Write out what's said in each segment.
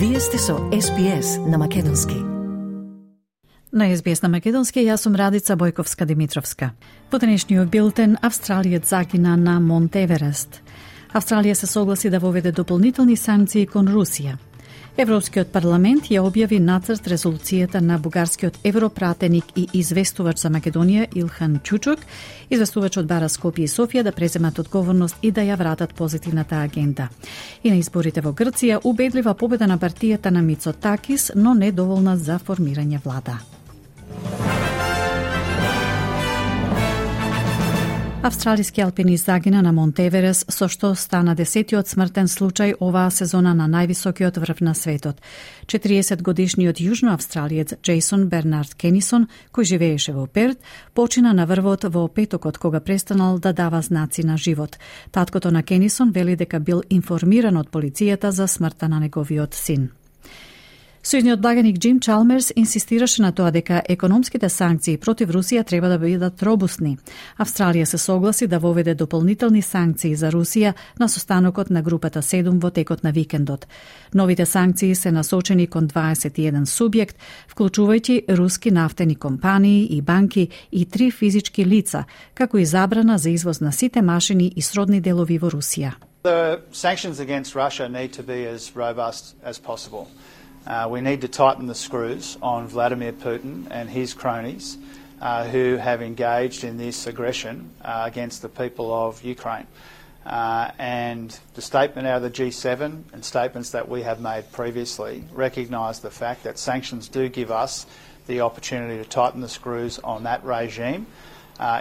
Вие сте со SBS на Македонски. На SBS на Македонски, јас сум Радица Бојковска-Димитровска. Во денешниот билтен, Австралијец загина на Монт Еверест. Австралија се согласи да воведе дополнителни санкции кон Русија. Европскиот парламент ја објави нацрт резолуцијата на бугарскиот европратеник и известувач за Македонија Илхан Чучук. Известувачот бара Скопје и Софија да преземат одговорност и да ја вратат позитивната агенда. И на изборите во Грција убедлива победа на партијата на Мицотакис, но недоволна за формирање влада. Австралиски алпинист загина на Монт Еверест, со што стана 10-тиот смртен случај оваа сезона на највисокиот врв на светот. 40-годишниот јужноавстралиец Джейсон Бернард Кенисон, кој живееше во Перт, почина на врвот во петокот кога престанал да дава знаци на живот. Таткото на Кенисон вели дека бил информиран од полицијата за смртта на неговиот син. Сојузниот благаник Джим Чалмерс инсистираше на тоа дека економските санкции против Русија треба да бидат робусни. Австралија се согласи да воведе дополнителни санкции за Русија на состанокот на групата 7 во текот на викендот. Новите санкции се насочени кон 21 субјект, вклучувајќи руски нафтени компании и банки и 3 физички лица, како и забрана за извоз на сите машини и сродни делови во Русија. The sanctions against Russia need to be as robust as possible. We need to tighten the screws on Vladimir Putin and his cronies who have engaged in this aggression against the people of Ukraine. And the statement out of the G7 and statements that we have made previously recognise the fact that sanctions do give us the opportunity to tighten the screws on that regime.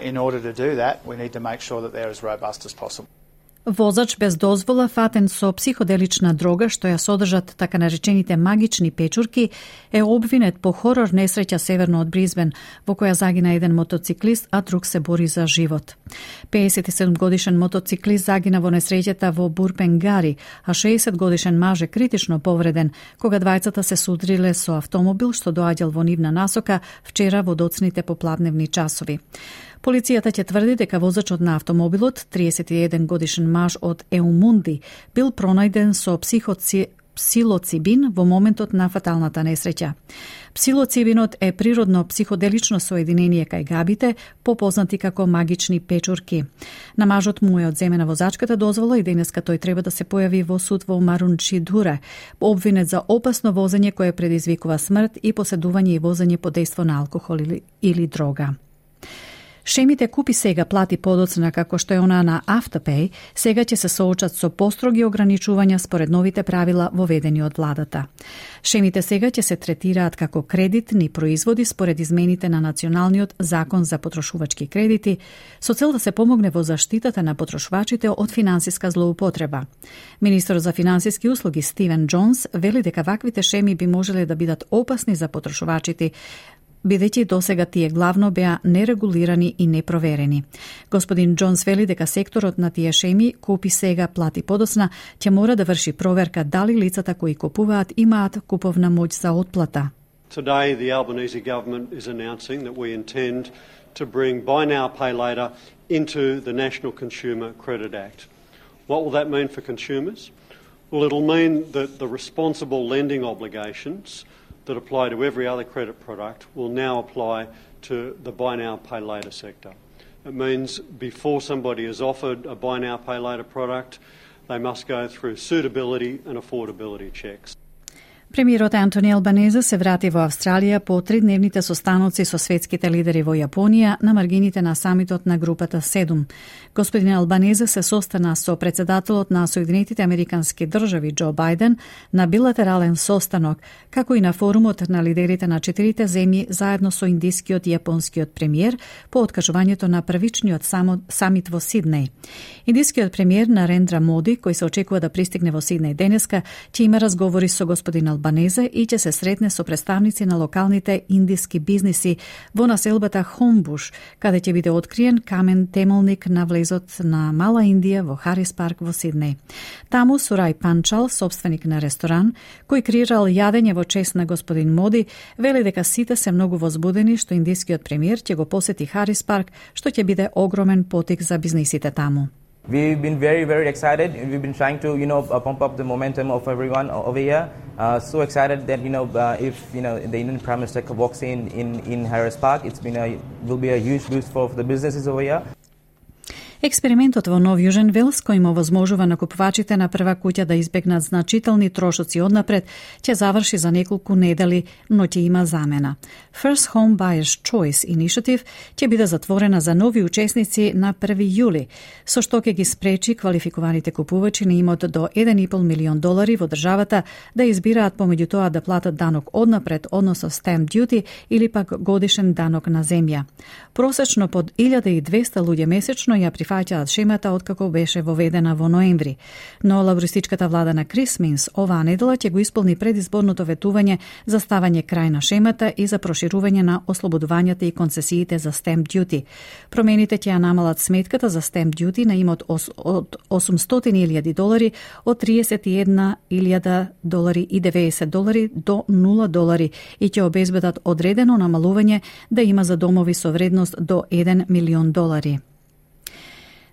In order to do that, we need to make sure that they're as robust as possible. Возач без дозвола фатен со психоделична дрога што ја содржат така наречените магични печурки е обвинет по хорор несреќа северно од Бризбен, во која загина еден мотоциклист, а друг се бори за живот. 57 годишен мотоциклист загина во несреќата во Бурпенгари, а 60 годишен маж е критично повреден кога двајцата се судриле со автомобил што доаѓал во нивна насока вчера во доцните попладневни часови. Полицијата ќе тврди дека возачот на автомобилот, 31 годишен маж од Еумунди, бил пронајден со псилоцибин во моментот на фаталната несреќа. Псилоцибинот е природно психоделично соединение кај габите, попознати како магични печурки. На мажот му е одземена возачката дозвола и денеска тој треба да се појави во суд во Марунчидуре, обвинет за опасно возење кое предизвикува смрт и поседување и возење под дејство на алкохол или дрога. Шемите Купи сега плати подоцна како што е она на Afterpay, сега ќе се соочат со построги ограничувања според новите правила воведени од владата. Шемите сега ќе се третираат како кредитни производи според измените на Националниот закон за потрошувачки кредити, со цел да се помогне во заштитата на потрошувачите од финансиска злоупотреба. Министерот за финансиски услуги Стивен Джонс вели дека ваквите шеми би можеле да бидат опасни за потрошувачите, бидејќи досега тие главно беа нерегулирани и непроверени. Господин Джонс вели дека секторот на тие шеми Купи сега плати подоцна ќе мора да врши проверка дали лицата кои купуваат имаат куповна моќ за отплата. Today the Albanese government is announcing that we intend to bring buy now pay later into the National Consumer Credit Act. What will that mean for consumers? Well, it'll mean that the responsible lending obligations that apply to every other credit product will now apply to the buy now pay later sector. It means before somebody is offered a buy now pay later product, they must go through suitability and affordability checks. Премиерот Антони Албанезе се врати во Австралија по 3-дневните состаноци со светските лидери во Јапонија на маргините на самитот на групата 7. Господин Албанезе се состана со председателот на Соединетите Американски држави Џо Бајден на билатерален состанок, како и на форумот на лидерите на 4 земји заедно со индискиот и јапонскиот премиер по откажувањето на првичниот самит во Сиднеј. Индискиот премиер Нарендра Моди, кој се очекува да пристигне во Сиднеј денеска, ќе има разговори со господин Албанезе и ќе се сретне со представници на локалните индиски бизниси во населбата Хомбуш, каде ќе биде откриен камен темелник на влезот на Мала Индија во Харис парк во Сиднеј. Таму Сурај Панчал, собственик на ресторан, кој креирал јадење во чест на господин Моди, вели дека сите се многу возбудени што индискиот премиер ќе го посети Харис парк, што ќе биде огромен потик за бизнисите таму. We've been very excited. We've been trying to, pump up the momentum of everyone over here. So excited that if the Indian Prime Minister walks in Harris Park, will be a huge boost for the businesses over here. Експериментот во Нов Јужен Велс, кој им овозможува на купувачите на прва куќа да избегнат значителни трошоци однапред, ќе заврши за неколку недели, но ќе има замена. First Home Buyers Choice Initiative ќе биде затворена за нови учесници на 1 јули, со што ќе ги спречи квалификуваните купувачи на имот до $1,5 милион во државата да избираат помеѓу тоа да платат данок однапред, односно stamp duty или пак годишен данок на земја. Просечно под 1200 луѓе месечно ја прифаќаат шемата откако беше воведена во ноември. Но лабористичката влада на Крис Минс оваа недела ќе го исполни предизборното ветување за ставање крај на шемата и за проширување на ослободувањата и концесиите за stamp duty. Промените ќе ја намалат сметката за stamp duty на имот од $800,000 од $31,090 до $0 и ќе обезбедат одредено намалување да има за домови со вредност до $1 милион.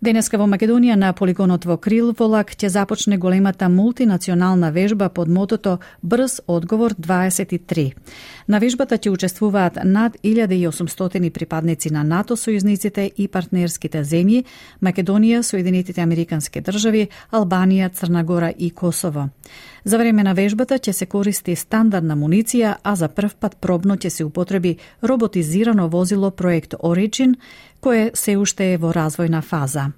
Денеска во Македонија на полигонот во Крилволак ќе започне големата мултинационална вежба под мотото Брз одговор 23. На вежбата ќе учествуваат над 1800 припадници на НАТО сојузниците и партнерските земји, Македонија, Соединетите Американски држави, Албанија, Црна Гора и Косово. За време на вежбата ќе се користи стандардна муниција, а за прв пат пробно ќе се употреби роботизирано возило проект Origin, кое се уште е во развојна фаза.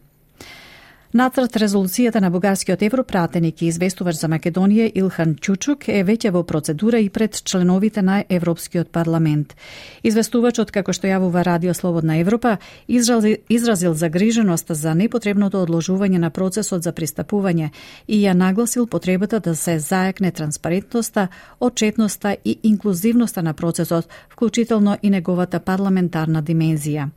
Нацрт резолуцијата на бугарскиот европратеник и известувач за Македонија Илхан Чучук е веќе во процедура и пред членовите на Европскиот парламент. Известувачот, како што јавува Радио Слободна Европа, изразил загриженост за непотребното одложување на процесот за пристапување и ја нагласил потребата да се зајакне транспарентноста, отчетноста и инклузивноста на процесот, вклучително и неговата парламентарна димензија.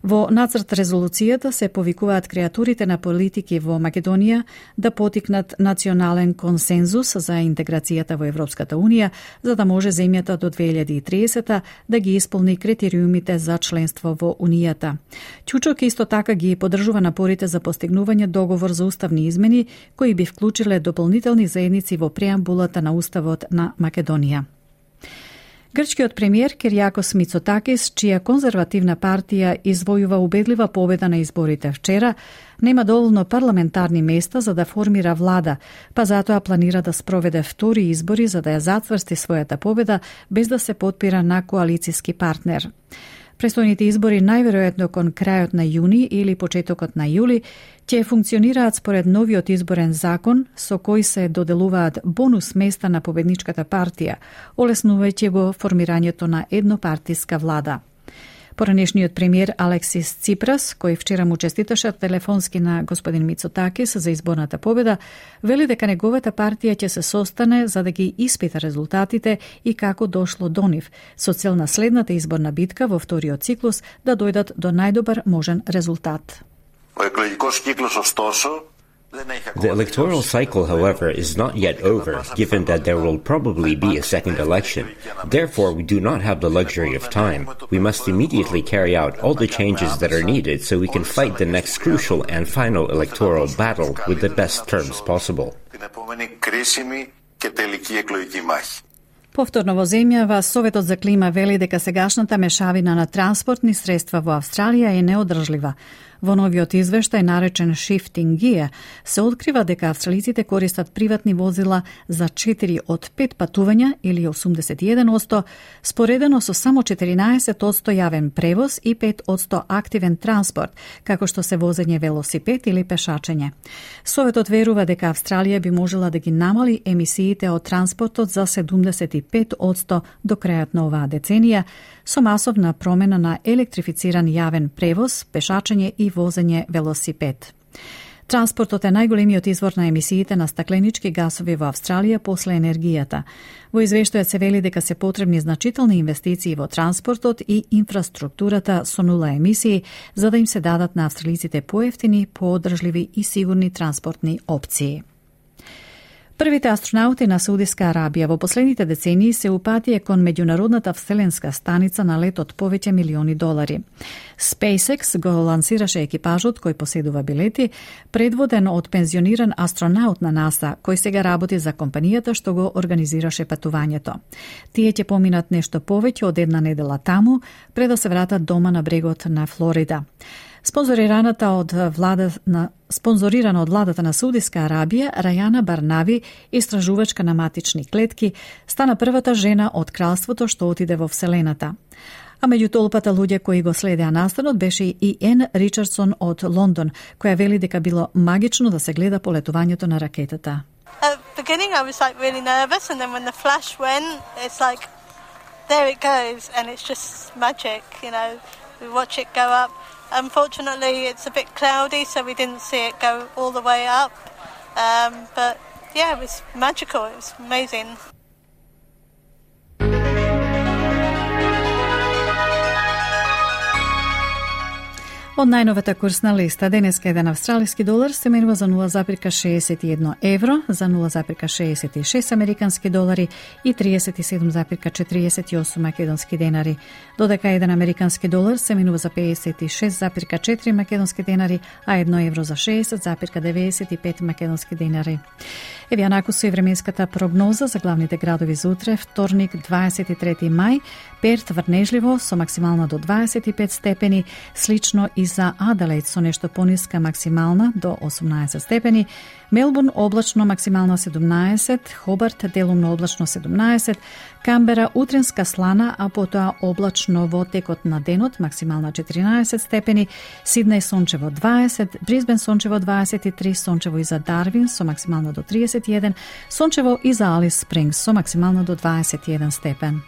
Во нацрт резолуцијата се повикуваат креатурите на политики во Македонија да потикнат национален консензус за интеграцијата во Европската Унија, за да може земјата до 2030 да ги исполни критериумите за членство во Унијата. Чучок исто така ги поддржува напорите за постигнување договор за уставни измени, кои би вклучиле дополнителни заедници во преамбулата на Уставот на Македонија. Грчкиот премиер Кириакос Мицотакис, чија конзервативна партија извојува убедлива победа на изборите вчера, нема доволно парламентарни места за да формира влада, па затоа планира да спроведе втори избори за да ја затврсти својата победа без да се потпира на коалициски партнер. Престојните избори најверојатно кон крајот на јуни или почетокот на јули ќе функционираат според новиот изборен закон со кој се доделуваат бонус места на победничката партија, олеснувајќи го формирањето на еднопартиска влада. Поранешниот премиер Алексис Ципрас, кој вчера му честиташе телефонски на господин Мицотакис за изборната победа, вели дека неговата партија ќе се состане за да ги испита резултатите и како дошло до нив, со цел на следната изборна битка во вториот циклус да дојдат до најдобар можен резултат. The electoral cycle, however, is not yet over, given that there will probably be a second election. Therefore, we do not have the luxury of time. We must immediately carry out all the changes that are needed so we can fight the next crucial and final electoral battle with the best terms possible. Повторно во земјава, Советот за клима вели дека сегашната мешавина на транспортни средства во Австралија е неодржлива. Во новиот извештај наречен Shifting Gear се открива дека австралиците користат приватни возила за 4 од 5 патувања или 81%, споредено со само 14% јавен превоз и 5% активен транспорт, како што се возење велосипед или пешачење. Советот верува дека Австралија би можела да ги намали емисиите од транспортот за 75% до крајот на оваа деценија, со масовна промена на електрифициран јавен превоз, пешачење и возење велосипед. Транспортот е најголемиот извор на емисиите на стакленички гасови во Австралија после енергијата. Во извештајот се вели дека се потребни значителни инвестиции во транспортот и инфраструктурата со нула емисии, за да им се дадат на австралиците поевтини, поодржливи и сигурни транспортни опции. Првите астронаути на Саудиска Арабија во последните децении се упатија кон меѓународната вселенска станица на лет од повеќе милиони долари. SpaceX го лансираше екипажот кој поседува билети, предводен од пензиониран астронаут на НАСА, кој сега работи за компанијата што го организираше патувањето. Тие ќе поминат нешто повеќе од една недела таму, пред да се вратат дома на брегот на Флорида. Спонзорирана од владата на Саудиска Арабија, Рајана Барнави, истражувачка на матични клетки, стана првата жена од кралството што отиде во Вселената. А меѓу толпата луѓе кои го следеа настанот беше и Ен Ричардсон од Лондон, која вели дека било магично да се гледа полетувањето на ракетата. At the beginning I was really nervous, and then when the flash went, it's like there it goes, and it's just magic, we watch it go up. Unfortunately, it's a bit cloudy, so we didn't see it go all the way up. But yeah, it was magical. It was amazing. Од најновата курсна листа, денеска еден австралиски долар се менува за 0,61 евро, за 0,66 американски долари и 37,48 македонски денари, додека еден американски долар се менува за 56,4 македонски денари, а 1 евро за 60,95 македонски денари. Еве анаку со и временската прогноза за главните градови за утре, вторник 23 мај, Перт врнежливо со максимална до 25 степени, слично и за Аделаид со нешто пониска максимална до 18 степени, Мелбурн облачно максимална 17, Хобарт делумно облачно 17, Камбера утренска слана, а потоа облачно во текот на денот максимална 14 степени, Сиднеј сончево 20, Брисбен сончево 23, сончево и за Дарвин со максимално до 31, сончево и за Алис Спрингс со максимално до 21 степен.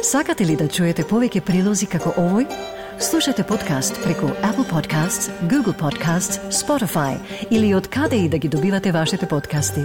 Сакате ли да чуете повеќе прилози како овој? Слушате подкаст преку Apple Podcasts, Google Podcasts, Spotify или од каде и да ги добивате вашите подкасти.